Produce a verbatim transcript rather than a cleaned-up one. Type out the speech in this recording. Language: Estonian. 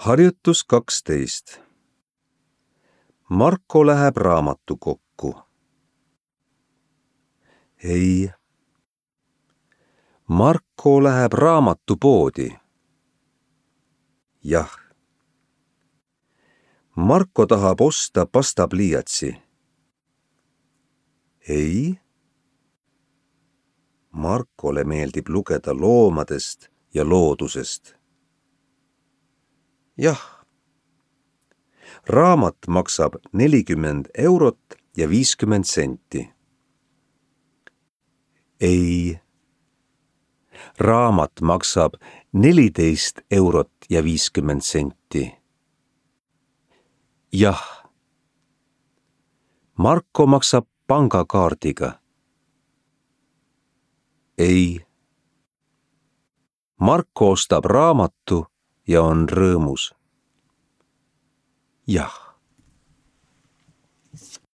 Harjutus kaksteist. Marko läheb raamatukokku. Ei. Marko läheb raamatupoodi. Jah. Marko tahab osta pastapliiatsi. Ei. Markole meeldib lugeda loomadest ja loodusest. Jah. Raamat maksab nelikümmend eurot ja viiskümmend senti. Ei. Raamat maksab neliteist eurot ja viiskümmend senti. Jah. Marko maksab pangakaardiga. Ei. Marko ostab raamatu ja on rõõmus. Jah.